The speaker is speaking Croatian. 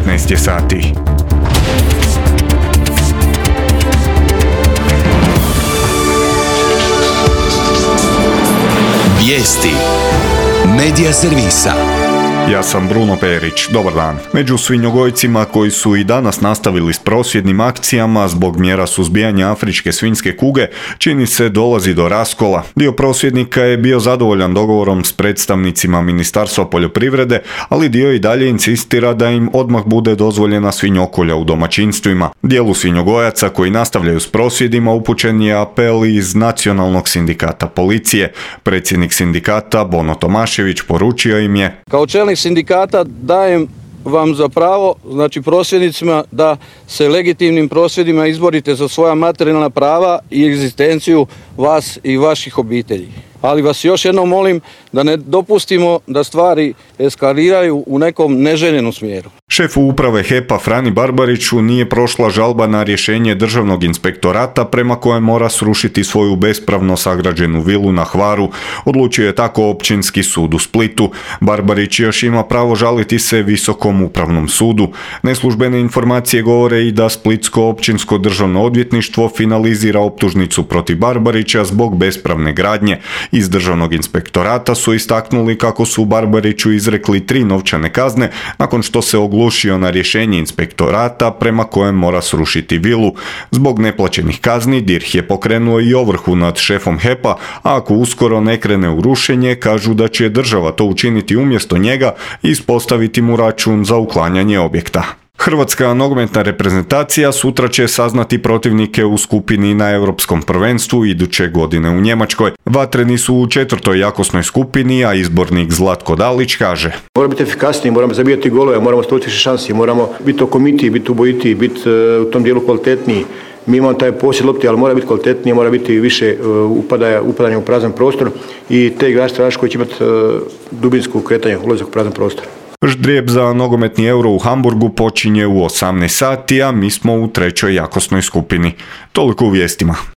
19 je sati. Vijesti Medija servisa. Ja sam Bruno Perić, dobar dan. Među svinjogojcima koji su i danas nastavili s prosvjednim akcijama zbog mjera suzbijanja afričke svinjske kuge, čini se dolazi do raskola. Dio prosvjednika je bio zadovoljan dogovorom s predstavnicima Ministarstva poljoprivrede, ali dio i dalje insistira da im odmah bude dozvoljena svinjokolja u domaćinstvima. Dijelu svinjogojaca koji nastavljaju s prosvjedima upućen je apel iz Nacionalnog sindikata policije. Predsjednik sindikata Bono Tomašević poručio im je: kao čelnik sindikata dajem vam za pravo, znači prosvjednicima, da se legitimnim prosvjedima izborite za svoja materijalna prava i egzistenciju vas i vaših obitelji. Ali vas još jednom molim da ne dopustimo da stvari eskaliraju u nekom neželjenom smjeru. Šefu uprave HEP-a Frani Barbariću nije prošla žalba na rješenje Državnog inspektorata prema kojem mora srušiti svoju bespravno sagrađenu vilu na Hvaru. Odlučio je tako Općinski sud u Splitu. Barbarić još ima pravo žaliti se Visokom upravnom sudu. Neslužbene informacije govore i da Splitsko općinsko državno odvjetništvo finalizira optužnicu protiv Barbarića zbog bespravne gradnje. Iz Državnog inspektorata su istaknuli kako su Barbariću izrekli 3 novčane kazne nakon što se oglušio na rješenje inspektorata prema kojem mora srušiti vilu. Zbog neplaćenih kazni DIRH je pokrenuo i ovrhu nad šefom HEP-a, a ako uskoro ne krene u rušenje, kažu da će država to učiniti umjesto njega i ispostaviti mu račun za uklanjanje objekta. Hrvatska nogometna reprezentacija sutra će saznati protivnike u skupini na Europskom prvenstvu iduće godine u Njemačkoj. Vatreni su u 4. jakosnoj skupini, a izbornik Zlatko Dalić kaže: moramo biti efikasniji, moramo zabijati golove, moramo stvoriti više šansi, moramo biti okomitiji, biti ubojitiji, biti u tom dijelu kvalitetniji. Mi imamo taj posjed lopti, ali mora biti kvalitetniji, mora biti više upadanja u prazan prostor i te igrači koji će imati dubinsku kretanje, ulazak u prazan prostor. Ždrijeb za nogometni Euro u Hamburgu počinje u 18 sati, a mi smo u 3. jakosnoj skupini. Toliko u vijestima.